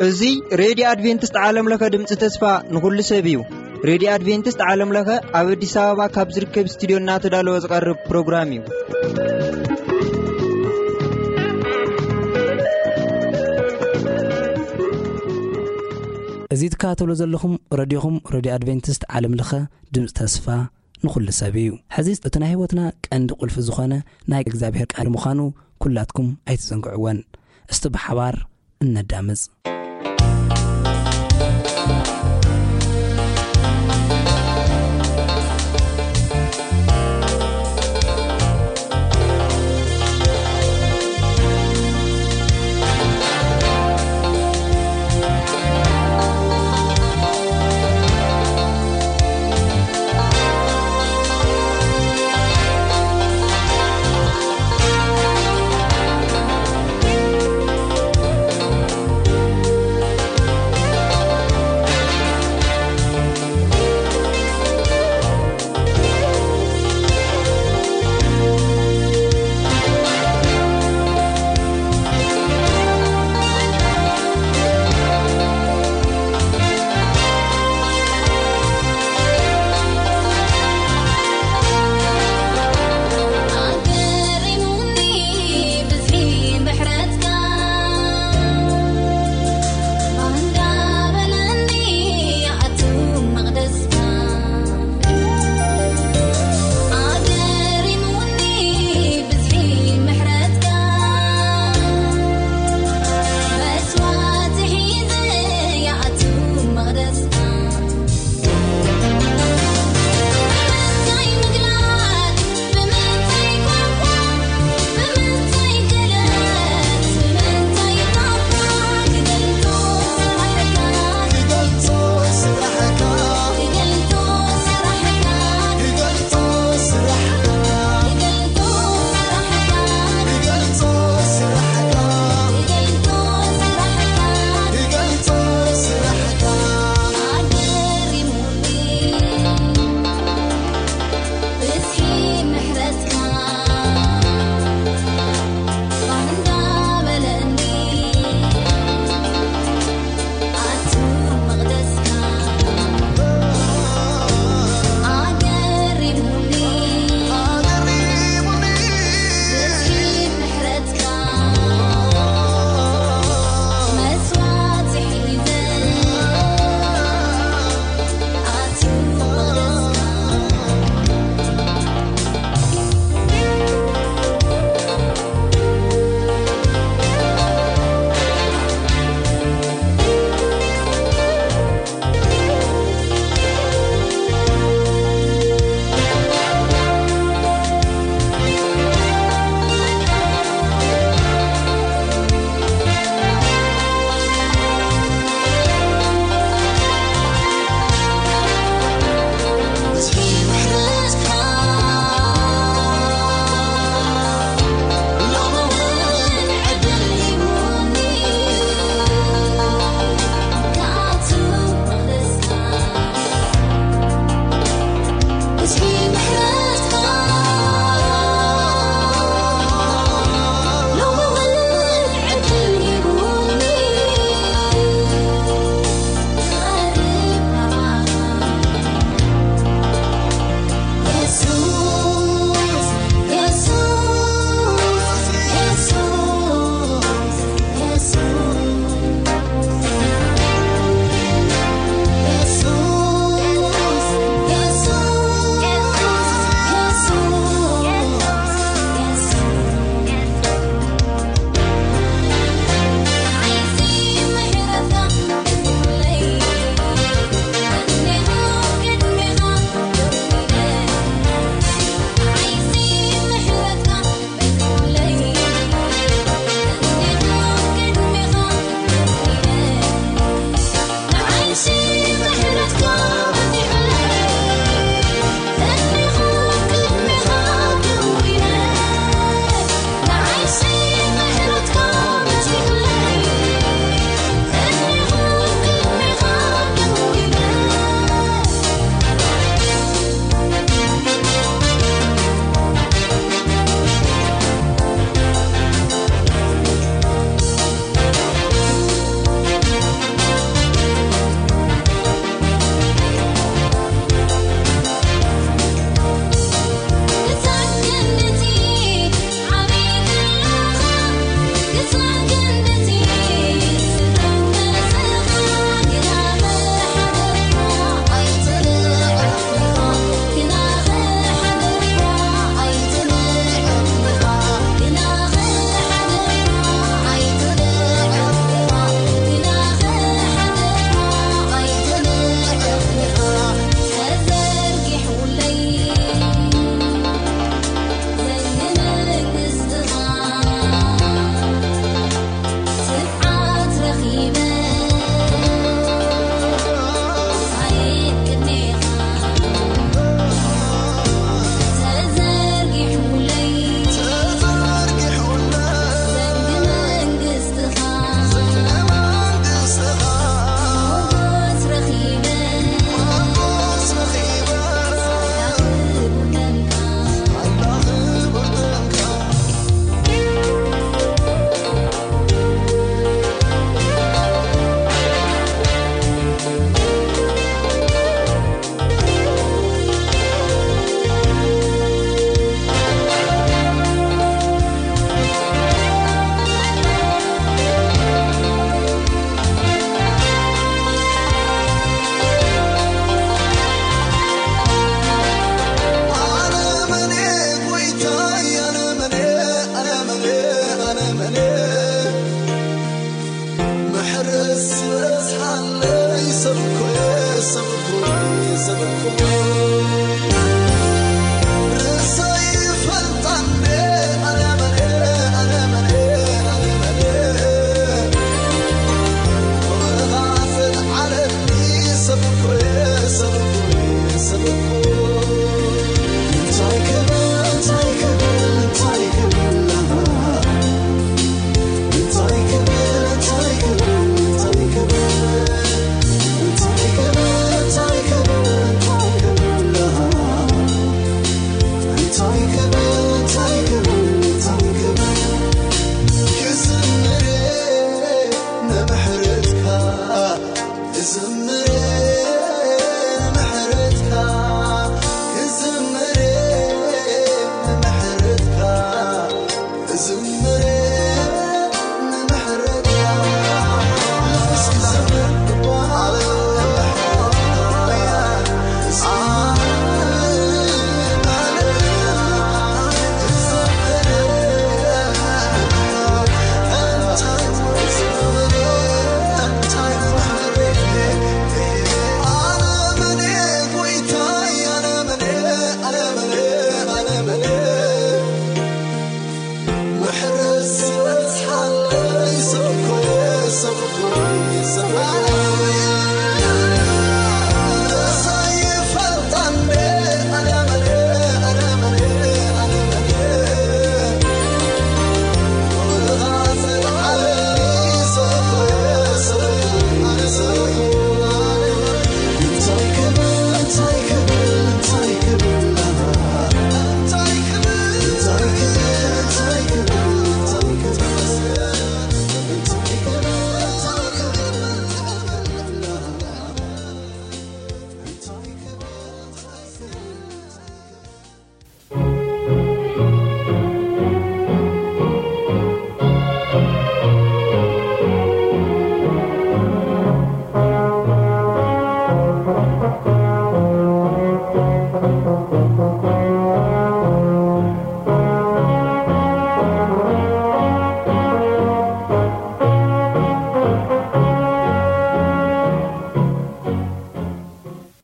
እዚ ሬድዮ ኣድቬንቲስት ዓለም ለኸ ድምፂ ተስፋ ንኹሉ ሰብ እዩ። ሬድዮ ኣድቬንቲስት ዓለም ለኸ ኣብ ኣዲስ ኣበባ ካብ ዝርከብ ስቱዲዮ እናተዳለወ ዝቐርብ ፕሮግራም እዩ። እዚ ትከታተሉ ዘለኹም ረድዮኹም ሬድዮ ኣድቬንቲስት ዓለም ለኸ ድምፂ ተስፋ ንኹሉ ሰብ እዩ። ሕዚ እቲ ናይ ህይወትና ቀንዲ ቁልፊ ዝኾነ ናይ እግዚኣብሔር ቃል ምዃኑ ኩላትኩም ኣይትዘንግዕወን። እስቲ ብሓባር እነዳምፅ።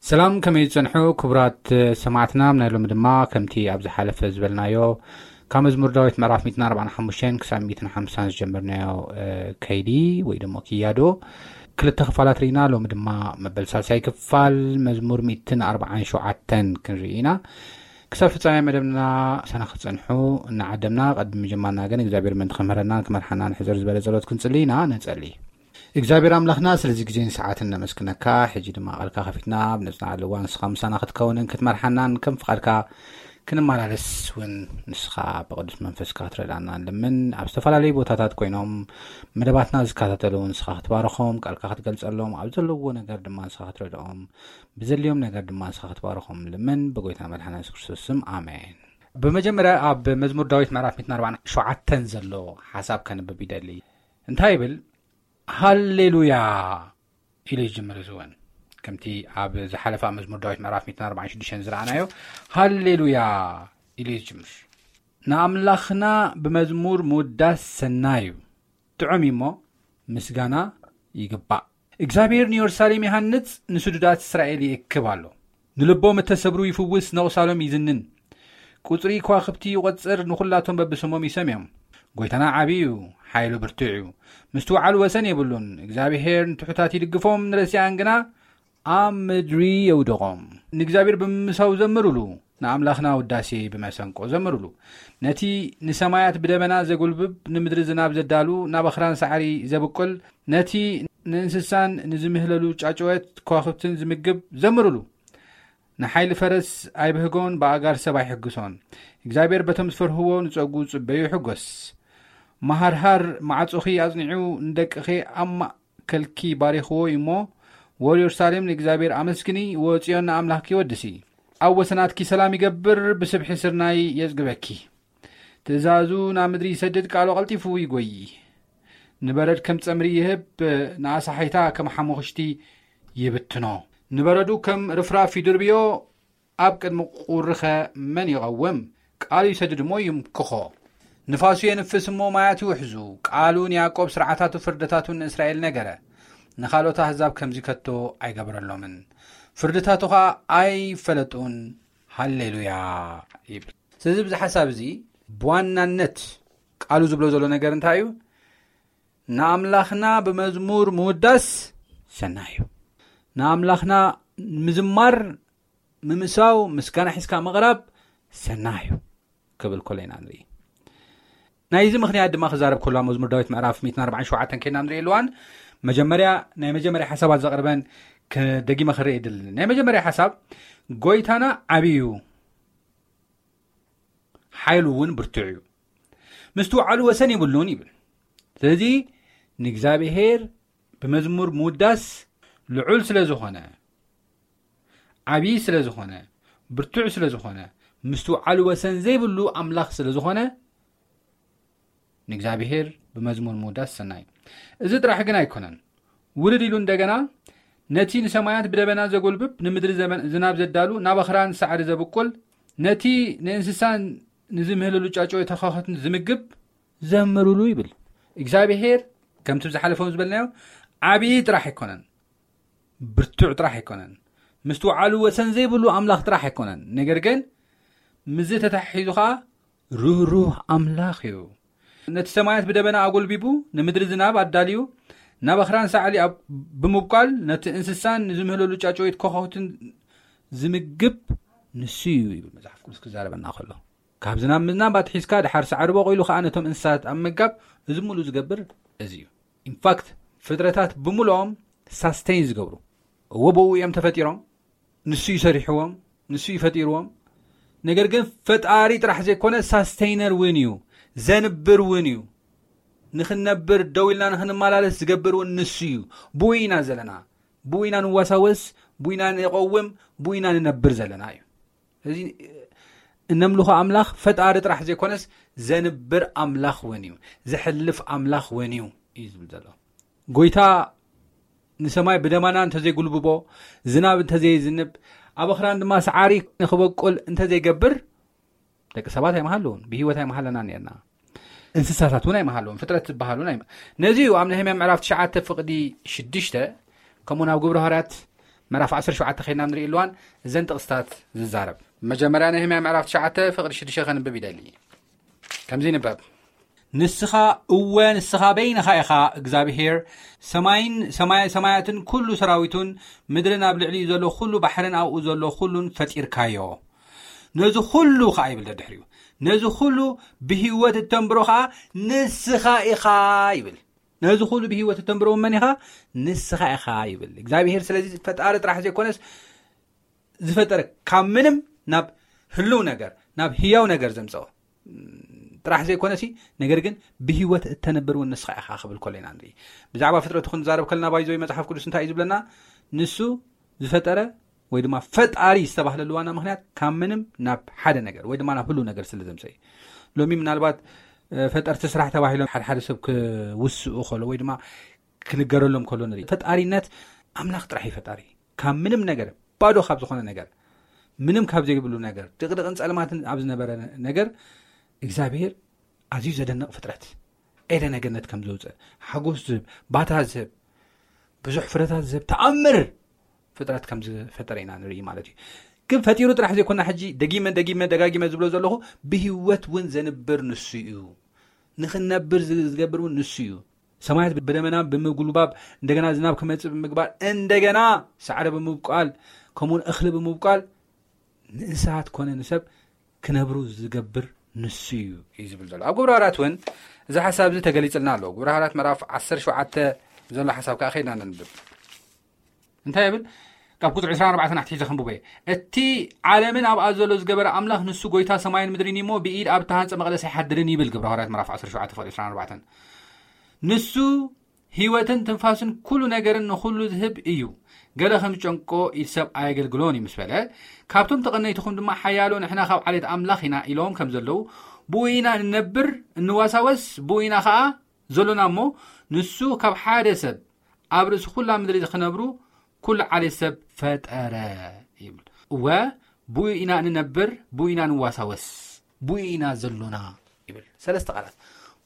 ሰላም፣ ከመይ ዝጸንሑ ክቡራት ሰማዕትና? ናይ ሎሚ ድማ ከምቲ ኣብ ዝሓለፈ ዝበልናዮ ካብ መዝሙር ዳዊት ምዕራፍ ሚእትን ኣርባዓን ሓሙሽተን ክሳብ ሚእትን ሓምሳን ዝጀመርናዮ ከይዲ ወይ ደሞ ክያዶ ክልተ ክፋላት ርኢና። ሎሚ ድማ መበል ሳልሳይ ክፋል መዝሙር ሚእትን ኣርባዓን ሸውዓተን ክንርኢ ኢና። ክሳብ ፍጻሜ መደብና ምሳና ክትጸንሑ እናዓደምና፣ ቅድሚ ምጅማርና ግን እግዚኣብሔር ምእንቲ ክምህረናን ክመርሓናን ሕጽር ዝበለ ጸሎት ክንጽሊ ኢና። ንጸሊ። እግዚኣብሔር ኣምላኽና፣ ስለዚ ግዜን ሰዓትን ነመስግነካ። ሕጂ ድማ ቃልካ ከፊትና ኣብ ነጽናዓሉ እዋን ንስኻ ምሳና ክትከውንን ክትመርሓናን ከም ፍቓድካ ክንመላለስ እውን ንስኻ ብቅዱስ መንፈስካ ክትረድኣና ንልምን። ኣብ ዝተፈላለዩ ቦታታት ኮይኖም መደባትና ዝከታተሉ ንስኻ ክትባርኾም፣ ቃልካ ክትገልጸሎም፣ ኣብ ዘለዎ ነገር ድማ ንስኻ ክትረድኦም፣ ብዘድልዮም ነገር ድማ ንስኻ ክትባርኾም ንልምን። ብጎይታ መድሓና የሱስ ክርስቶስ ስም፣ ኣሜን። ብመጀመርያ ኣብ መዝሙር ዳዊት ምዕራፍ ሚእትን ኣርባዓን ሸውዓተን ዘሎ ሓሳብ ከንብብ ይደሊ። እንታይ ይብል? ሃሌሉያ ኢሉ ይጅምር። እዚ እውን ከምቲ ኣብ ዝሓለፈ መዝሙር ዳዊት ምዕራፍ ሚእትን ኣርባዓን ሽዱሽተን ዝረኣናዮ ሃሌሉያ ኢሉ ይጅምር። ንኣምላኽና ብመዝሙር ምውዳስ ሰናይ እዩ፣ ጥዑም እዩ እሞ ምስጋና ይግባእ። እግዚኣብሔር ንየሩሳሌም ይሃንጽ፣ ንስዱዳት እስራኤል ይእክብ ኣሎ። ንልቦም እተሰብሩ ይፍውስ፣ ነቑሳሎም ይዝንን። ቁጽሪ ከዋኽብቲ ይቖጽር፣ ንኹላቶም በብስሞም ይሰምዮም። ጎይታና ዓቢ እዩ፣ ሓይሉ ብርቱዕ እዩ። ምስትውዓሉ ወሰን የብሉን። እግዚኣብሔር ንትሑታት ይድግፎም፣ ንረሲኣን ግና ኣብ ምድሪ የውድቖም። ንእግዚኣብሔር ብምምሳው ዘምሩሉ፣ ንኣምላኽና ውዳሴ ብመሰንቆ ዘምሩሉ። ነቲ ንሰማያት ብደበና ዘጉልብብ፣ ንምድሪ ዝናብ ዘዳሉ፣ ናብ ኣኽራን ሳዕሪ ዘብቁል፣ ነቲ ንእንስሳን ንዝምህለሉ ጫጭወት ከዋኽብትን ዝምግብ ዘምሩሉ። ንሓይሊ ፈረስ ኣይብህጎን፣ ብኣእጋር ሰብ ኣይሕግሶን። እግዚኣብሔር በቶም ዝፈርህዎ ንጸጉ ጽበዩ ይሕጎስ። መሃርሃር ማዕጾኺ ኣጽኒዑ፣ ንደቅኺ ኣብ ማእከልኪ ባሪኽዎ እዩ እሞ፣ ወል የሩሳሌም ንእግዚኣብሔር ኣመስግኒ፣ ወጽዮን ንኣምላኽኪ ወድሲ። ኣብ ወሰናትኪ ሰላም ይገብር፣ ብስብሒ ስርናይ የጽግበኪ። ትእዛዙ ናብ ምድሪ ይሰድድ፣ ቃሉ ቀልጢፉ ይጎዪ። ንበረድ ከም ጸምሪ ይህብ፣ ንኣሳሒታ ከም ሓሙኽሽቲ ይብትኖ። ንበረዱ ከም ርፍራፍ ይድርብዮ፣ ኣብ ቅድሚ ቁሪኸ መን ይቐውም? ቃሉ ይሰድድ እሞ ይምክኾ። ንፋሱ የንፍስ እሞ ማያት ይውሕዙ። ቃሉ ንያዕቆብ፣ ስርዓታቱ ፍርድታቱን ንእስራኤል ነገረ። ንኻልኦት ኣህዛብ ከምዚ ከቶ ኣይገበረሎምን። ፍርድታቱ ኸኣ ኣይፈለጡን። ሃሌሉያ ይብል። ስለዚ፣ ብዚ ሓሳብ እዚ ብዋናነት ቃሉ ዝብሎ ዘሎ ነገር እንታይ እዩ? ንኣምላኽና ብመዝሙር ምውዳስ ሰናይ እዩ። ንኣምላኽና ምዝማር፣ ምምሳው፣ ምስጋና ሒዝካ ምቕራብ ሰናይ እዩ ክብል ከሎ ኢና ንርኢ። ናይዚ ምኽንያት ድማ ክዛረብ ከሎ፣ ኣብ መዝሙር ዳዊት ምዕራፍ ሚእትን ኣርባዓን ሸውዓተን ከይድና ንርኢ ኣለዋን። መጀመርያ፣ ናይ መጀመርያ ሓሳባት ዘቕርበን ከ-፣ ደጊመ ክርኢ ይደሊ። ናይ መጀመርያ ሓሳብ፣ ጎይታና ዓብዪ እዩ፣ ሓይሉ እውን ብርቱዕ እዩ፣ ምስትውዓሉ ወሰን የብሉን ይብል። ስለዚ ንእግዚኣብሔር ብመዝሙር ምውዳስ ልዑል ስለ ዝኾነ፣ ዓብዪ ስለ ዝኾነ፣ ብርቱዕ ስለ ዝኾነ፣ ምስትውዓሉ ወሰን ዘይብሉ ኣምላኽ ስለ ዝኾነ፣ ንእግዚኣብሔር ብመዝሙር ምውዳስ ሰናይ። እዚ ጥራሕ ግን ኣይኮነን። ውርድ ኢሉ እንደገና፣ ነቲ ንሰማያት ብደበና ዘጎልብብ፣ ንምድሪ ዘመን-፣ ዝናብ ዘዳሉ፣ ናብ ኣኽራን ሳዕሪ ዘብቁል፣ ነቲ ንእንስሳን ንዝምህለሉ ጫጭ ተኻኸትን ዝምግብ፣ ዘምሩሉ ይብል። እግዚኣብሔር ከምቲ ብዝሓለፈ ዝበልናዮ፣ ዓብዪ ጥራሕ ኣይኮነን፣ ብርቱዕ ጥራሕ ኣይኮነን፣ ምስትውዓሉ ወሰን ዘይብሉ ኣምላኽ ጥራሕ ኣይኮነን። ነገር ግን ምስዚ ተተሓሒዙ ኸዓ ርህሩህ ኣምላኽ እዩ። ነቲ ሰማያት ብደበና ኣጎልቢቡ፣ ንምድሪ ዝናብ ኣዳልዩ፣ ናብ ኣኽራን ሳዕሊ ኣብ-፣ ብምብቋል፣ ነቲ እንስሳን ንዝምህለሉ ጫጭወይት ኮኾትን ዝምግብ ንሱ እዩ ይብል መጽሓፍ ቅዱስ ክዛረበና ከሎ። ካብ ዝናብ ምዝናብ ኣትሒዝካ ድሓር ሳዕሪ በቑሉ ኸዓ ነቶም እንስሳት ኣብ ምምጋብ፣ እዚ ሙሉ ዝገብር እዚ እዩ። ኢንፋክት፣ ፍጥረታት ብምልኦም ሳስቴን ዝገብሩ፣ እዎ ብኡ እዮም ተፈጢሮም፣ ንሱ እዩ ሰሪሕዎም፣ ንሱ እዩ ፈጢርዎም። ነገር ግን ፈጣሪ ጥራሕ ዘይኮነ ሳስቴይነር እውን እዩ፣ ዘንብር እውን እዩ። ንኽንነብር፣ ደው ኢልና ንኽንመላለስ ዝገብር እውን ንሱ እዩ። ብኡ ኢና ዘለና፣ ብኡ ኢና ንወሳወስ፣ ብኡ ኢና ንቐውም፣ ብኡ ኢና ንነብር ዘለና እዩ። እዚ እነምልኾ ኣምላኽ ፈጣሪ ጥራሕ ዘይኮነስ ዘንብር ኣምላኽ እውን እዩ፣ ዘሕልፍ ኣምላኽ እውን እዩ እዩ ዝብል ዘሎ። ጎይታ ንሰማይ ብደመና እንተዘይጉልብቦ፣ ዝናብ እንተዘይዝንብ፣ ኣብ ኣኽራን ድማ ሰዓሪ ንኽበቁል እንተዘይገብር፣ ደቂ ሰባት ኣይምሃለውን፣ ብህይወት ኣይምሃለናን ነርና። እንስሳታት እውን ኣይምሃለውን፣ ፍጥረት ዝበሃሉ ናይ-፣ ነዚ እዩ ኣብ ነህምያ ምዕራፍ ትሽዓተ ፍቕዲ ሽዱሽተ፣ ከምኡውን ኣብ ግብረ ሃዋርያት ምዕራፍ ዓሰርተ ሸውዓተ ከይድና ንርኢ ኣለዋን እዘን ጥቕስታት ዝዛረብ። መጀመርያ ነህምያ ምዕራፍ ትሽዓተ ፍቕዲ ሽዱሽተ ከንብብ ይደሊ። ከምዚ ይንበብ። ንስኻ፣ እወ ንስኻ በይንኻ ኢኻ እግዚኣብሄር፣ ሰማይን ሰማይ ሰማያትን ኩሉ ሰራዊቱን፣ ምድርን ኣብ ልዕሊኡ ዘሎ ኩሉ ባሕርን ኣብኡ ዘሎ ኩሉን ፈጢርካዮ። ነዚ ኩሉ ኸዓ ይብል ደድሕሪኡ፣ ነዚ ኩሉ ብህይወት እተንብሮ ኸዓ ንስኻ ኢኻ ይብል። ነዚ ኩሉ ብህይወት እተንብሮ እውን መን ኢኻ? ንስኻ ኢኻ ይብል እግዚኣብሄር። ስለዚ ፈጣሪ ጥራሕ ዘይኮነስ ዝፈጠረ ካብ ምንም ናብ ህልው ነገር ናብ ህያው ነገር ዘምፀኦ ጥራሕ ዘይኮነሲ፣ ነገር ግን ብህይወት እተንብር እውን ንስኻ ኢኻ ክብል ከሎ ኢና ንርኢ። ብዛዕባ ፍጥረቱ ክንዛረብ ከለና ባይዘወይ መጽሓፍ ቅዱስ እንታይ እዩ ዝብለና? ንሱ ዝፈጠረ ወይ ድማ ፈጣሪ ዝተባህለሉ ዋና ምክንያት ካብ ምንም ናብ ሓደ ነገር ወይ ድማ ናብ ህሉ ነገር ስለ ዘምፀ እዩ። ሎሚ ምናልባት እ፣ ፈጠርቲ ስራሕ ተባሂሎም ሓደ ሓደ ሰብ ክውስኡ ከሎ ወይ ድማ ክንገረሎም ከሎ ንርኢ። ፈጣሪነት ኣምላኽ ጥራሕ እዩ ፈጣሪ። ካብ ምንም ነገር፣ ባዶ ካብ ዝኾነ ነገር፣ ምንም ካብ ዘይብሉ ነገር፣ ድቕድቕን ጸልማትን ኣብ ዝነበረ ነገር እግዚኣብሄር ኣዝዩ ዘደንቕ ፍጥረት፣ ኤደነ ገነት ከም ዘውፅእ፣ ሓጎስ ዝህብ፣ ባታ ዝህብ፣ ብዙሕ ፍረታት ዝህብ ተኣምር ፍጥረት ከም ዝፈጠረ ኢና ንርኢ ማለት እዩ። ግን ፈጢሩ ጥራሕ ዘይኮና ሕጂ ደጊመ ደጊመ ደጋጊመ ዝብሎ ዘለኹ፣ ብህይወት እውን ዘንብር ንሱ እዩ። ንኽንነብር ዝ-፣ ዝገብር እውን ንሱ እዩ። ሰማያት ብደመና ብምጉልባብ፣ እንደገና ዝናብ ክመጽእ ብምግባር፣ እንደገና ሳዕሪ ብምብቋል፣ ከምኡውን እኽሊ ብምብቋል፣ ንእንስሳት ኮነ ንሰብ ክነብሩ ዝገብር ንሱ እዩ፣ እዩ ዝብል ዘሎ። ኣብ ግብረ ሃዋርያት እውን እዚ ሓሳብ እዚ ተገሊጽልና ኣሎ። ግብረ ሃዋርያት ምዕራፍ ዓሰርተ ሸውዓተ ዘሎ ሓሳብ ከኣ ከይድና ነንብብ። እንታይ ይብል? ካብ ቁጽሪ ዕስራን ኣርባዕተን ኣትሒዘ ከንብቦ እየ። እቲ ዓለምን ኣብኣ ዘሎ ዝገበረ ኣምላኽ ንሱ ጎይታ ሰማይን ምድርን እዩ እሞ፣ ብኢድ ኣብ እተሃንጸ መቕደስ ኣይሓድርን ይብል ግብረ ሃዋርያት ምዕራፍ ዓሰርተ ሸውዓተ ፍቕዲ ዕስራን ኣርባዕተን። ንሱ ህይወትን ትንፋስን ኩሉ ነገርን ንኹሉ ዝህብ እዩ። ገለ ከም ዝጨንቆ ኢድ ሰብ ኣየገልግሎን እዩ ምስ በለ፣ ካብቶም ተቐነይትኹም ድማ ሓያሎ ንሕና ካብ ዓሌት ኣምላኽ ኢና ኢሎም ከም ዘለዉ፣ ብኡ ኢና እንነብር፣ እንዋሳወስ፣ ብኡ ኢና ኸኣ ዘሎና እሞ፣ ንሱ ካብ ሓደ ሰብ ኣብ ርእሲ ኩላ ምድሪ ዝኽነብሩ ኩሉ ዓሌት ሰብ ፈጠረ ይብል። እወ፣ ብኡ ኢና እንነብር፣ ብኡ ኢና ንዋሳወስ፣ ብኡ ኢና ዘሎና ይብል። ሰለስተ ቃላት።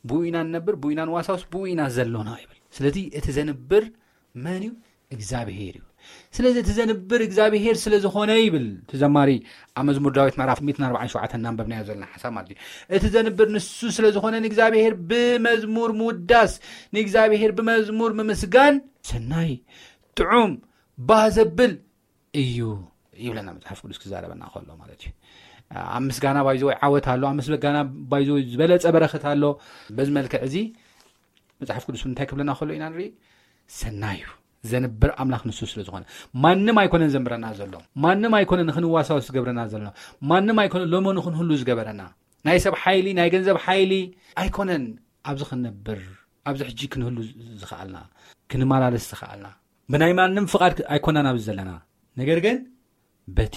ብኡ ኢና ንነብር፣ ብኡ ኢና ንዋሳወስ፣ ብኡ ኢና ዘሎና ይብል። ስለዚ እቲ ዘንብር መን እዩ? እግዚኣብሄር እዩ። ስለዚ እቲ ዘንብር እግዚኣብሄር ስለ ዝኾነ ይብል እቲ ዘማሪ ኣብ መዝሙር ዳዊት ምዕራፍ ሚእትን ኣርባዓን ሸውዓተን እናንበብናዮ ዘለና ሓሳብ ማለት እዩ። እቲ ዘንብር ንሱ ስለ ዝኾነ ንእግዚኣብሄር ብመዝሙር ምውዳስ፣ ንእግዚኣብሄር ብመዝሙር ምምስጋን ሰናይ፣ ጥዑም፣ ባህ ዘብል እዩ ይብለና መጽሓፍ ቅዱስ ክዛረበና ከሎ ማለት እዩ። ኣብ ምስጋና ባይዘወይ ዓወት ኣሎ፣ ኣብ ምስጋና ባይዘወይ ዝበለጸ በረኸት ኣሎ። በዚ መልክዕ እዚ መጽሓፍ ቅዱስ እንታይ ክብለና ከሎ ኢና ንርኢ? ሰናይ እዩ። ዘንብር ኣምላኽ ንሱ ስለ ዝኾነ ማንም ኣይኮነን ዘንብረና ዘሎ፣ ማንም ኣይኮነን ንኽንዋሳወስ ዝገብረና ዘሎ፣ ማንም ኣይኮነን ሎሞ ንኽንህሉ ዝገበረና። ናይ ሰብ ሓይሊ፣ ናይ ገንዘብ ሓይሊ ኣይኮነን ኣብዚ ክንነብር፣ ኣብዚ ሕጂ ክንህሉ ዝኸኣልና፣ ክንመላለስ ዝኸኣልና። ብናይ ማንም ፍቓድ ኣይኮናን ኣብዚ ዘለና። ነገር ግን በቲ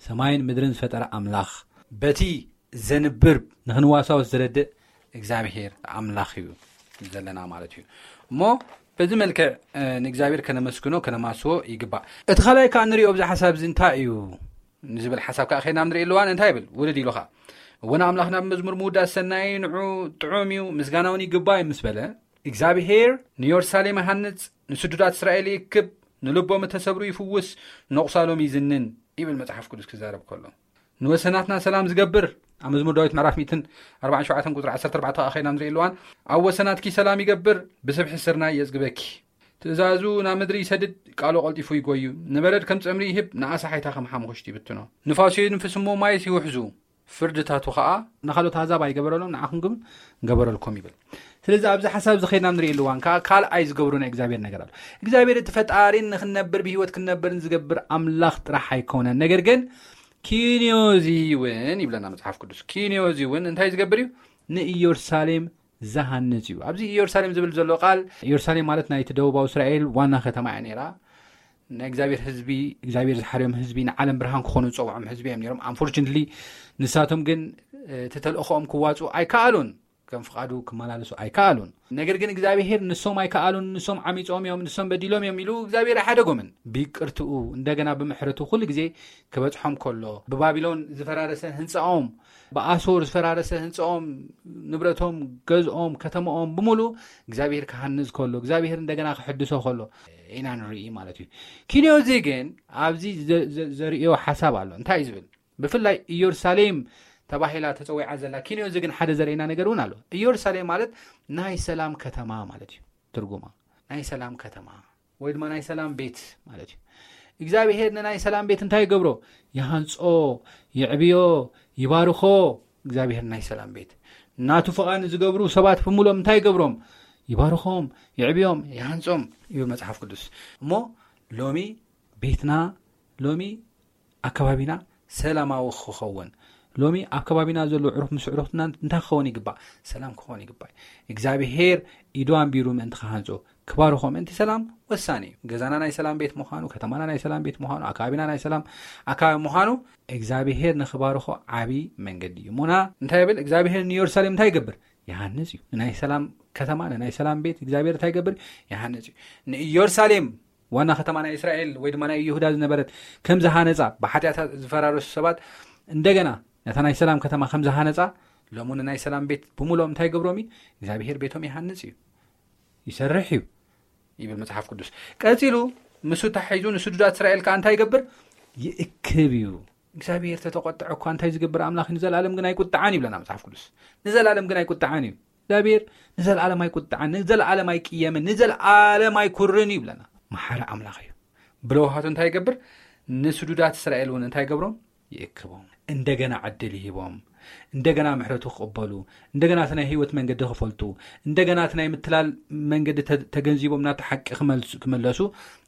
ሰማይን ምድርን ዝፈጠረ ኣምላኽ፣ በቲ ዘንብር ንኽንዋሳወስ ዝረድእ እግዚኣብሄር ኣምላኽ እዩ ዘለና ማለት እዩ። እሞ በዚ መልክዕ፣ እ፣ ንእግዚኣብሄር ከነመስግኖ፣ ከነማስዎ ይግባእ። እቲ ካልኣይ ከኣ ንሪኦ ኣብዚ ሓሳብ እዚ እንታይ እዩ ንዝብል ሓሳብ ከኣ ከይድና ንርኢ ኣለዋን እንታይ ይብል? ውልድ ኢሉ ኸኣ፣ "እወ ንኣምላኽና ብመዝሙር ምውዳስ ሰናይ፣ ንዑ ጥዑም እዩ፣ ምስጋና እውን ይግባእ" ምስ በለ፣ እግዚኣብሄር ንዮርሳሌም ይሃንጽ፣ ንስዱዳት እስራኤል ይእክብ፣ ንልቦም እተሰብሩ ይፍውስ፣ ነቑሳሎም ይዝንን ይብል መጽሓፍ ቅዱስ ክዛረብ ከሎ። ንወሰናትና ሰላም ዝገብር፣ ኣብ መዝሙር ዳዊት ምዕራፍ ሚእትን ኣርባዓን ሸውዓተን ቁጽሪ ዓሰርተ ኣርባዕተ ከኣ ከይና ንርኢ ኣለዋን፣ "ኣብ ወሰናትኪ ሰላም ይገብር፣ ብስብሒ ስርናይ የጽግበኪ። ትእዛዙ ናብ ምድሪ ይሰድድ፣ ቃሉ ቀልጢፉ ይጎዩ። ንበረድ ከም ጸምሪ ይህብ፣ ንኣሳሓይታ ከም ሓሙኽሽቲ ይብትኖ። ንፋሱ ይንፍስ እሞ ማይስ ይውሕዙ፣ ፍርድታቱ ኸኣ ንኻልኦት ኣህዛብ ኣይገበረሎም፣ ንዓኹም ግን ገበረልኩም" ይብል። ስለዚ ኣብዚ ሓሳብ እዚ ከይድና ንርኢ ኣለዋን ከኣ ካልኣይ ዝገብሩ ናይ እግዚኣብሔር ነገር ኣሎ። እግዚኣብሔር እቲ ፈጣሪን ንኽንነብር ብህይወት ክንነብርን ዝገብር ኣምላኽ ጥራሕ ኣይኮነን። ነገር ግን ኪንዮዚ እውን ይብለና መጽሓፍ ቅዱስ። ኪንዮዚ እውን እንታይ ዝገብር እዩ? ንኢየሩሳሌም ዝሃንጽ እዩ። ኣብዚ ኢየሩሳሌም ዝብል ዘሎ ቃል፣ ኢየሩሳሌም ማለት ናይቲ ደቡባዊ እስራኤል ዋና ከተማ እያ ነይራ። ናይ እግዚኣብሔር ህዝቢ፣ እግዚኣብሔር ዝሓርዮም ህዝቢ፣ ንዓለም ብርሃን ክኾኑ ዝጸውዖም ህዝቢ እዮም ነይሮም። ኣንፎርቹነትሊ ንሳቶም ግን፣ እ፣ እቲ ተልእኾኦም ክዋጹ ኣይከኣሉን። ከም ፍቓዱ ክመላለሱ ኣይከኣሉን። ነገር ግን እግዚኣብሔር ንሶም ኣይከኣሉን፣ ንሶም ዓሚጾም እዮም፣ ንሶም በዲሎም እዮም ኢሉ እግዚኣብሔር ኣይሓደጎምን። ብይቅርትኡ እንደገና ብምሕረቱ ኩሉ ግዜ ክበጽሖም ከሎ፣ ብባቢሎን ዝፈራረሰ ህንጻኦም፣ ብኣሶር ዝፈራረሰ ህንጻኦም፣ ንብረቶም፣ ገዝኦም፣ ከተማኦም ብምሉ እግዚኣብሔር ክሃንጽ ከሎ፣ እግዚኣብሔር እንደገና ክሕድሶ ከሎ ኢና ንርኢ ማለት እዩ። ኪንዮዚ ግን ኣብዚ ዘ- ዘ- ዘርእዮ ሓሳብ ኣሎ። እንታይ እዩ ዝብል? ብፍላይ ኢየሩሳሌም ተባሂላ ተጸዊዓ ዘላ ኪንዮዚ ግን ሓደ ዘርእየና ነገር እውን ኣሎ። ኢየሩሳሌም ማለት ናይ ሰላም ከተማ ማለት እዩ ትርጉማ። ናይ ሰላም ከተማ ወይ ድማ ናይ ሰላም ቤት ማለት እዩ። እግዚኣብሔር ንናይ ሰላም ቤት እንታይ ይገብሮ? ይሃንጾ፣ ይዕብዮ፣ ይባርኾ። እግዚኣብሔር ናይ ሰላም ቤት ናቱ ፍቓድ ዝገብሩ ሰባት ብምሎም እንታይ ይገብሮም? ይባርኾም፣ ይዕብዮም፣ ይሃንጾም እዩ መጽሓፍ ቅዱስ። እሞ ሎሚ ቤትና፣ ሎሚ ኣከባቢና ሰላማዊ ክኸውን፣ ሎሚ ኣብ ከባቢና ዘሎ ዕሩፍ ምስ ዕሩፍትና እንታይ ክኸውን ይግባእ? ሰላም ክኸውን ይግባእ። እግዚኣብሔር ኢዱ ኣንቢሩ ምእንቲ ክሃንጾ፣ ክባርኾ ምእንቲ ሰላም ወሳኒ እዩ። ገዛና ናይ ሰላም ቤት ምዃኑ፣ ከተማና ናይ ሰላም ቤት ምዃኑ፣ ኣከባቢና ናይ ሰላም ኣከባቢ ምዃኑ እግዚኣብሔር ንክባርኾ ዓቢ መንገዲ እዩ። እሞና እንታይ ይብል እግዚኣብሔር? ንኢየሩሳሌም እንታይ ይገብር? ይሃንጽ እዩ። ንናይ ሰላም ከተማ፣ ንናይ ሰላም ቤት እግዚኣብሔር እንታይ ይገብር? ይሃንጽ እዩ። ንኢየሩሳሌም ዋና ከተማ ናይ እስራኤል ወይ ድማ ናይ ይሁዳ ዝነበረት ከም ዝሃነጻ፣ ብሓጢኣታ ዝፈራረሱ ሰባት እንደገና ነታ ናይ ሰላም ከተማ ከም ዝሃነጻ፣ ሎሚ ንናይ ሰላም ቤት ብምሎም እንታይ ይገብሮም እዩ? እግዚኣብሔር ቤቶም ይሃንጽ እዩ፣ ይሰርሕ እዩ ይብል መጽሓፍ ቅዱስ። ቀጺሉ፣ ምስ ተታሒዙ ንስዱዳት እስራኤል ከኣ እንታይ ይገብር? ይእክብ እዩ። እግዚኣብሔር ተተቆጥዐ እኳ እንታይ ዝገብር ኣምላኽ እዩ? ንዘለኣለም ግን ኣይቁጥዓን ይብለና መጽሓፍ ቅዱስ። ንዘለኣለም ግን ኣይቁጥዓን እዩ እግዚኣብሔር። ንዘለኣለም ኣይቁጥዓን፣ ንዘለኣለም ኣይቅየምን፣ ንዘለኣለም ኣይኩርን እዩ ይብለና። መሓሪ ኣምላኽ እዩ። ብለውሃቱ እንታይ ይገብር? ንስዱዳት እስራኤል እውን እንታይ ይገብሮም? ይእክቦም። እንደገና ዕድል ይሂቦም። እንደገና ምሕረቱ ክቕበሉ፣ እንደገና እቲ ናይ ህይወት መንገዲ ክፈልጡ፣ እንደገና እቲ ናይ ምትላል መንገዲ ተ- ተገንዚቦም ናብቲ ሓቂ ክመልሱ- ክመለሱ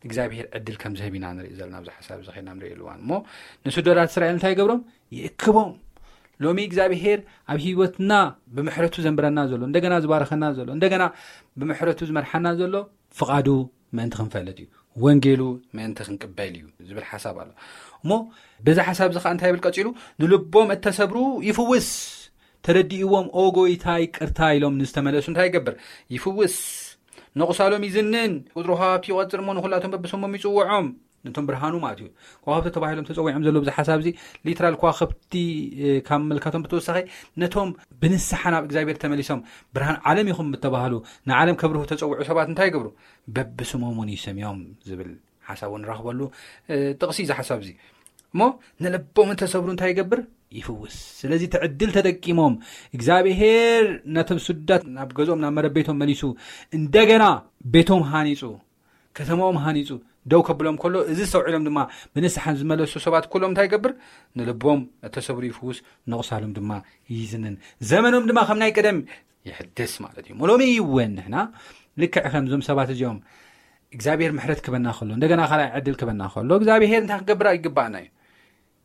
እግዚኣብሔር ዕድል ከም ዝህብ ኢና ንርኢ ዘለና ኣብዚ ሓሳብ እዚ ኸይና ንርኢ እዋን እሞ፣ ንስዱዳት እስራኤል እንታይ ይገብሮም? ይእክቦም። ሎሚ እግዚኣብሔር ኣብ ህይወትና ብምሕረቱ ዘንብረና ዘሎ፣ እንደገና ዝባርኸና ዘሎ፣ እንደገና ብምሕረቱ ዝመርሓና ዘሎ ፍቓዱ ምእንቲ ክንፈልጥ እዩ፣ ወንጌሉ ምእንቲ ክንቅበል እዩ ዝብል ሓሳብ ኣሎ። እሞ በዚ ሓሳብ እዚ ከዓ እንታይ ይብል ቀፂሉ? ንልቦም እተሰብሩ ይፍውስ፣ ተረዲእዎም ኦ ጎይታ ይቅርታ ኢሎም ንዝተመለሱ እንታይ ይገብር? ይፍውስ። ነቑሳሎም ይዝንን፣ ቁፅሩ ከዋክብቲ ይቆፅር እሞ ንኩላቶም በብስሞም ይፅውዖም። ነቶም ብርሃኑ ማለት እዩ። ከዋክብቲ ተባሂሎም ተፀዊዖም ዘለዉ፣ ብዙ ሓሳብ እዚ ሊትራል ከዋክብቲ ካብ ምልካቶም ብተወሳኺ ነቶም ብንስሓ ናብ እግዚኣብሔር ተመሊሶም ብርሃን ዓለም ይኹም እተባህሉ፣ ንዓለም ከብርሁ ተፀውዑ ሰባት እንታይ ይገብሩ? በብስሞም እውን ይሰምዮም ዝብል ሓሳብ እውን ንረኽበሉ ጥቕሲ እዚ ሓሳብ እዚ። እሞ ንልቦም እንተሰብሩ እንታይ ይገብር? ይፍውስ። ስለዚ እቲ ዕድል ተጠቂሞም እግዚኣብሔር ነቶም ስዱዳት ናብ ገዝኦም ናብ መረበይቶም መሊሱ እንደገና ቤቶም ሃኒፁ፣ ከተማኦም ሃኒፁ ደው ከብሎም ከሎ፣ እዚ ዝተውዒሎም ድማ ብንስሓ ዝመለሱ ሰባት ኩሎም እንታይ ይገብር? ንልቦም እተሰብሩ ይፍውስ፣ ነቑሳሎም ድማ ይዝንን፣ ዘመኖም ድማ ከም ናይ ቀደም ይሕድስ ማለት እዩ። ሎሚ እውን ንሕና ልክዕ ከምዞም ሰባት እዚኦም እግዚኣብሔር ምሕረት ክበና ከሎ፣ እንደገና ካልኣይ ዕድል ክበና ከሎ እግዚኣብሔር እንታይ ክገብር ይግባኣና እዩ?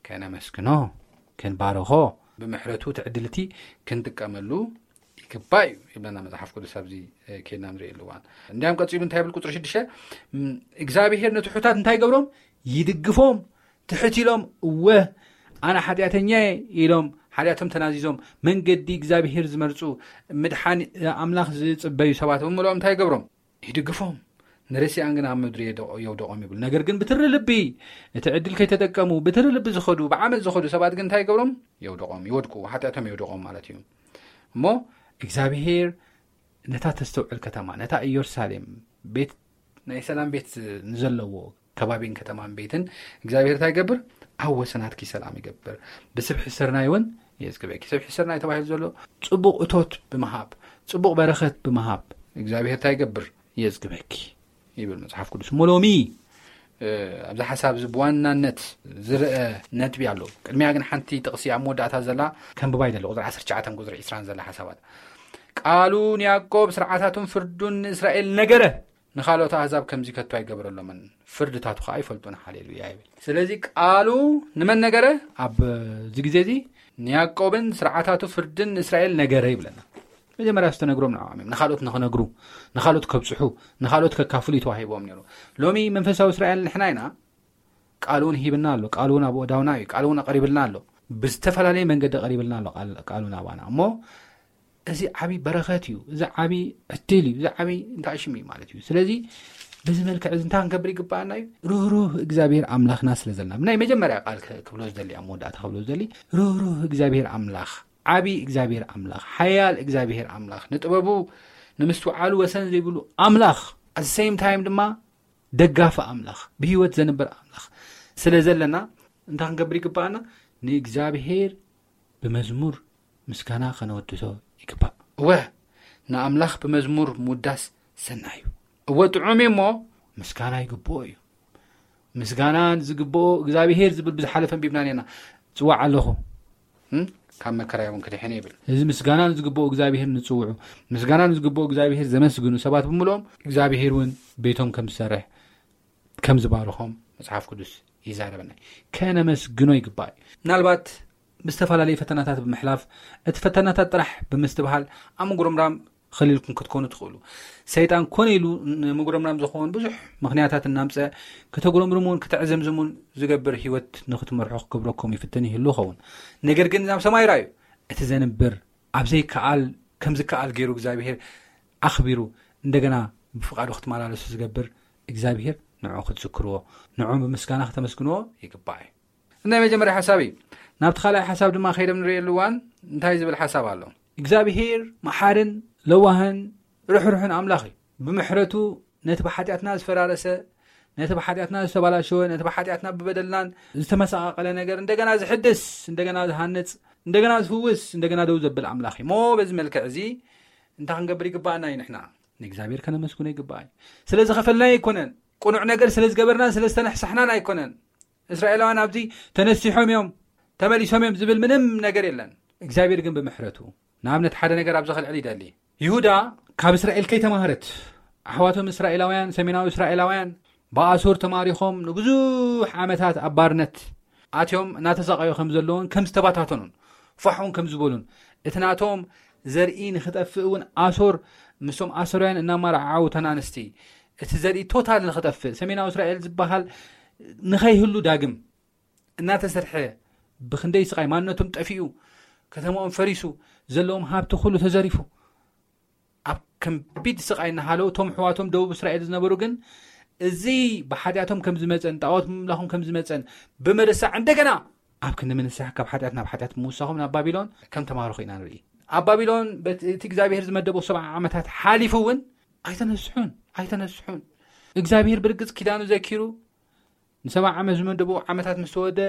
ከነመስግኖ፣ ክንባርኾ፣ ብምሕረቱ እቲ ዕድል እቲ ክንጥቀመሉ ይግባእ እዩ ይብለና መጽሓፍ ቅዱስ። ኣብዚ ከይድና ንርእየሉ እዋን እንዲያም ቀጺሉ እንታይ ይብል? ቁፅሪ ሽዱሽተ እግዚኣብሔር ንትሑታት እንታይ ይገብሮም? ይድግፎም። ትሕት ኢሎም እወ ኣነ ሓጢኣተኛ እየ ኢሎም ሓጢኣቶም ተናዚዞም መንገዲ እግዚኣብሔር ዝመርፁ ምድሓን ኣምላኽ ዝፅበዩ ሰባት ብምልኦም እንታይ ይገብሮም? ይድግፎም። ንርሲኣን ግን ኣብ ምድሪ የውደቖም ይብል። ነገር ግን ብትሪ ልቢ እቲ ዕድል ከይተጠቀሙ ብትሪ ልቢ ዝኸዱ ብዓመፅ ዝኸዱ ሰባት ግን እንታይ ይገብሮም? የውደቖም፣ ይወድቁ፣ ሓጢኣቶም የውደቖም ማለት እዩ። እሞ እግዚኣብሄር ነታ ተስተውዕል ከተማ፣ ነታ ኢየሩሳሌም ቤት ናይ ሰላም ቤት ንዘለዎ ከባቢን ከተማን ቤትን እግዚኣብሔር እንታይ ይገብር? ኣብ ወሰናትኪ ሰላም ይገብር፣ ብስብሒ ስርናይ እውን የዝግበኪ። ስብሒ ስርናይ ተባሂሉ ዘሎ ፅቡቕ እቶት ብምሃብ፣ ፅቡቕ በረኸት ብምሃብ እግዚኣብሔር እንታይ ይገብር? የዝግበኪ ይብል መፅሓፍ ቅዱስ። እሞ ሎሚ ኣብዚ ሓሳብ እዚ ብዋናነት ዝርአ ነጥቢ ኣሎ። ቅድሚያ ግን ሓንቲ ጥቕሲ ኣብ መወዳእታ ዘላ ከንብባ ይደሊ፣ ቁፅሪ ዓሰርተ ትሽዓተ ቁፅሪ ዕስራን ዘላ ሓሳባት። ቃሉ ንያዕቆብ ስርዓታቱን ፍርዱን ንእስራኤል ነገረ፣ ንኻልኦት ኣህዛብ ከምዚ ከቶ ኣይገበረሎምን፣ ፍርድታቱ ኸዓ ይፈልጡን። ሃሌሉያ ይብል። ስለዚ ቃሉ ንመን ነገረ? ኣብዚ ግዜ እዚ ንያዕቆብን ስርዓታቱ ፍርድን ንእስራኤል ነገረ ይብለና። መጀመርያ ዝተነግሮም ንዕኦም እዮም፣ ንኻልኦት ንኽነግሩ፣ ንኻልኦት ከብፅሑ፣ ንኻልኦት ከካፍሉ እዩ ተዋሂቦም ነይሩ። ሎሚ መንፈሳዊ እስራኤል ንሕና ኢና። ቃሉ እውን ሂብና ኣሎ፣ ቃሉ እውን ኣብ ኣእዳውና እዩ፣ ቃሉ እውን ኣቐሪብልና ኣሎ፣ ብዝተፈላለየ መንገዲ ቀሪብልና ኣሎ ቃሉ ናባና። እሞ እዚ ዓብዪ በረኸት እዩ። እዚ ዓብዪ ዕድል እዩ። እዚ ዓብዪ እንታይ ሽም እዩ ማለት እዩ። ስለዚ በዚ መልክዕ እዚ እንታይ ክንገብር ይግባኣና እዩ? ርህሩህ እግዚኣብሔር ኣምላኽና ስለ ዘለና፣ ናይ መጀመርያ ቃል ክብሎ ዝደሊ፣ ኣብ መወዳእታ ክብሎ ዝደሊ፣ ርህሩህ እግዚኣብሔር ኣምላኽ፣ ዓብዪ እግዚኣብሔር ኣምላኽ፣ ሓያል እግዚኣብሔር ኣምላኽ፣ ንጥበቡ ንምስትውዓሉ ወሰን ዘይብሉ ኣምላኽ፣ at the same time ድማ ደጋፊ ኣምላኽ፣ ብህይወት ዘንብር ኣምላኽ ስለ ዘለና እንታይ ክንገብር ይግባኣና? ንእግዚኣብሔር ብመዝሙር ምስጋና ከነወድሶ ይግባእ። እወ፣ ንኣምላኽ ብመዝሙር ምውዳስ ሰናይ እዩ። እወ፣ ጥዑም እዩ እሞ ምስጋና ይግብኦ እዩ። ምስጋና ዝግብኦ እግዚኣብሔር ዝብል ብዝሓለፈ ኣንቢብና ነና። ጽዋዕ ኣለኹ፣ እም? ካብ መከራ እውን ክድሕን ይብል። እዚ ምስጋና ንዝግብኦ እግዚኣብሔር ንጽውዑ፣ ምስጋና ንዝግብኦ እግዚኣብሔር ዘመስግኑ ሰባት ብምልኦም እግዚኣብሔር እውን ቤቶም ከም ዝሰርሕ፣ ከም ዝባርኾም መጽሓፍ ቅዱስ ይዛረበና። ከነመስግኖ ይግባእ እዩ። ምናልባት ብዝተፈላለዩ ፈተናታት ብምሕላፍ፣ እቲ ፈተናታት ጥራሕ ብምስትብሃል ኣብ ምጉርምራም ኸሊልኩም ክትኮኑ ትኽእሉ። ሰይጣን ኮነ ኢሉ ንምጉርምራም ዝኸውን ብዙሕ ምኽንያታት እናምጸ ከተጉረምርሙን ከተዕዘምዝሙን ዝገብር ህይወት ንኽትመርሑ ክገብረኩም ይፍትን ይህሉ ይኸውን። ነገር ግን ናብ ሰማይ ራዩ። እቲ ዘንብር ኣብ ዘይከኣል ከም ዝከኣል ገይሩ እግዚኣብሔር ኣኽቢሩ እንደገና ብፍቓዱ ክትመላለሱ ዝገብር እግዚኣብሔር ንዑ ክትዝክርዎ፣ ንዑ ብምስጋና ከተመስግንዎ ይግባእ እዩ። ናይ መጀመርያ ሓሳብ እዩ። ናብቲ ካልኣይ ሓሳብ ድማ ከይደ ንርእየሉ እዋን እንታይ ዝብል ሓሳብ ኣሎ? እግዚኣብሔር መሓርን ለዋህን ርሕሩሕን ኣምላኽ እዩ። ብምሕረቱ ነቲ ብሓጢኣትና ዝፈራረሰ፣ ነቲ ብሓጢኣትና ዝተባላሸወ፣ ነቲ ብሓጢኣትና ብበደልናን ዝተመሳቓቐለ ነገር እንደገና ዝሕድስ፣ እንደገና ዝሃንጽ፣ እንደገና ዝፍውስ፣ እንደገና ደው ዘብል ኣምላኽ እዩ። እሞ በዚ መልክዕ እዚ እንታይ ክንገብር ይግባኣና እዩ? ንሕና ንእግዚኣብሔር ከነመስግኖ ይግባእ እዩ። ስለ ዝኸፈልናዮ ኣይኮነን፣ ቅኑዕ ነገር ስለ ዝገበርናን ስለ ዝተነሕሳሕናን ኣይኮነን። እስራኤላውያን ኣብዚ ተነሲሖም እዮም፣ ተመሊሶም እዮም ዝብል ምንም ነገር የለን። እግዚኣብሔር ግን ብምሕረቱ፣ ንኣብነት ሓደ ነገር ኣብዚ ከልዕል ይደሊ። ይሁዳ ካብ እስራኤል ከይተማህረት፣ ኣሕዋቶም እስራኤላውያን፣ ሰሜናዊ እስራኤላውያን ብኣሶር ተማሪኾም ንብዙሕ ዓመታት ኣብ ባርነት ኣትዮም እናተሳቐዩ ከም ዘለውን ከም ዝተባታተኑን ፋሕ እውን ከም ዝበሉን፣ እቲ ናቶም ዘርኢ ንኽጠፍእ እውን ኣሶር ምስቶም ኣሶርያን እናመራዓዓዉ እተን ኣንስቲ፣ እቲ ዘርኢ ቶታል ንኽጠፍእ፣ ሰሜናዊ እስራኤል ዝበሃል ንኸይህሉ ዳግም እናተሰርሐ፣ ብኽንደይ ስቓይ ማንነቶም ጠፊኡ፣ ከተማኦም ፈሪሱ፣ ዘለዎም ሃብቲ ኩሉ ተዘሪፉ፣ ኣብ ከቢድ ስቓይ እናሃለዉ፣ እቶም ኣሕዋቶም ደቡብ እስራኤል ዝነበሩ ግን፣ እዚ ብሓጢኣቶም ከም ዝመጸን ጣዖት ምምላኾም ከም ዝመጸን ብምርሳዕ፣ እንደገና ኣብ ክንዲ ምንሳሕ ካብ ሓጢኣት ናብ ሓጢኣት ምውሳኾም ናብ ባቢሎን ከም ተማርኹ ኢና ንርኢ። ኣብ ባቢሎን በቲ፣ እቲ እግዚኣብሔር ዝመደቦ ሰብዓ ዓመታት ሓሊፉ እውን ኣይተነስሑን፣ ኣይተነስሑን። እግዚኣብሔር ብርግጽ ኪዳኑ ዘኪሩ ንሰብዓ ዓመት ዝመደቦ ዓመታት ምስ ተወደ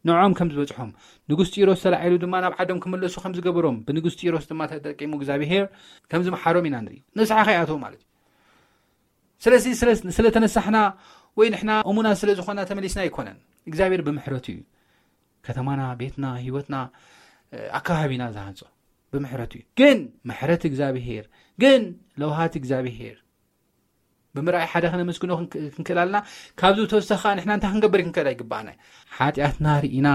ንዖም ከም ዝበጽሖም፣ ንጉስ ጢሮስ ተላዒሉ ድማ ናብ ዓዶም ክምለሱ ከም ዝገበሮም፣ ብንጉስ ጢሮስ ድማ ተጠቂሙ እግዚኣብሔር ከም ዝመሓሮም ኢና ንርኢ። ንስሓ ከይኣተዉ ማለት እዩ። ስለዚ ስለ፣ ስለ ተነሳሕና ወይ ንሕና እሙናት ስለ ዝኾና ተመሊስና ኣይኮነን። እግዚኣብሔር ብምሕረቱ እዩ ከተማና፣ ቤትና፣ ህይወትና፣ እ፣ ኣካባቢና ዝሃንጾ። ብምሕረቱ እዩ። ግን ምሕረት እግዚኣብሔር፣ ግን ለውሃት እግዚኣብሔር ብምርኣይ ሓደ ከነመስግኖ ክንክ-፣ ክንክእል ኣለና። ካብዚ ብተወሳኺ ከኣ ንሕና እንታይ ክንገብር ክንክእል ኣይግባኣና። ሓጢኣትና ርኢና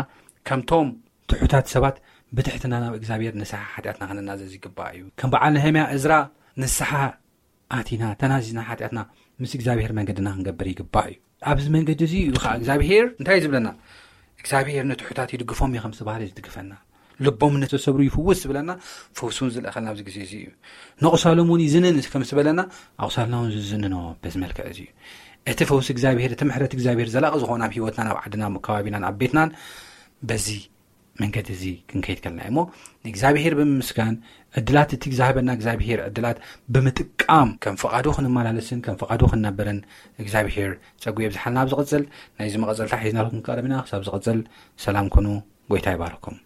ከምቶም ትሑታት ሰባት ብትሕትና ናብ እግዚኣብሔር ንስሓ ሓጢኣትና ከነናዘዝ ይግባእ እዩ። ከም በዓል ነህምያ እዝራ ንስሓ ኣቲና፣ ተናዚዝና ሓጢኣትና ምስ እግዚኣብሔር መንገድና ክንገብር ይግባእ እዩ። ኣብዚ መንገዲ እዚ እዩ ከዓ እግዚኣብሔር እንታይ እዩ ዝብለና? እግዚኣብሔር ንትሑታት ይድግፎም እዩ ከም ዝተባህለ ዝድግፈና። ልቦም ንተሰብሩ ይፍውስ ዝብለና፣ ፈውሱን ዝልእኸልና ኣብዚ ግዜ እዚ እዩ። ነቑሳሎም እውን ይዝንን ከም ዝበለና፣ ኣቑሳልና እውን ዝዝንኖ በዚ መልክዕ እዚ እዩ። እቲ ፈውሲ እግዚኣብሔር፣ እቲ ምሕረት እግዚኣብሔር ዘላቒ ዝኾነ ኣብ ህይወትና፣ ናብ ዓድና፣ ኣብ ከባቢናን ኣብ ቤትናን በዚ መንገዲ እዚ ክንከይድ ከለና እዩ። እሞ ንእግዚኣብሔር ብምምስጋን፣ ዕድላት እቲ ዝሃበና እግዚኣብሔር ዕድላት ብምጥቃም፣ ከም ፍቓዱ ክንመላለስን ከም ፍቓዱ ክንነብርን እግዚኣብሔር ጸጉ የብዝሓልና። ኣብ ዝቕጽል ናይዚ መቐጸልታ ሒዝናልኩም ክንቀርብ ኢና። ክሳብ ዝቕጽል ሰላም ኩኑ። ጎይታ ይባርኩም።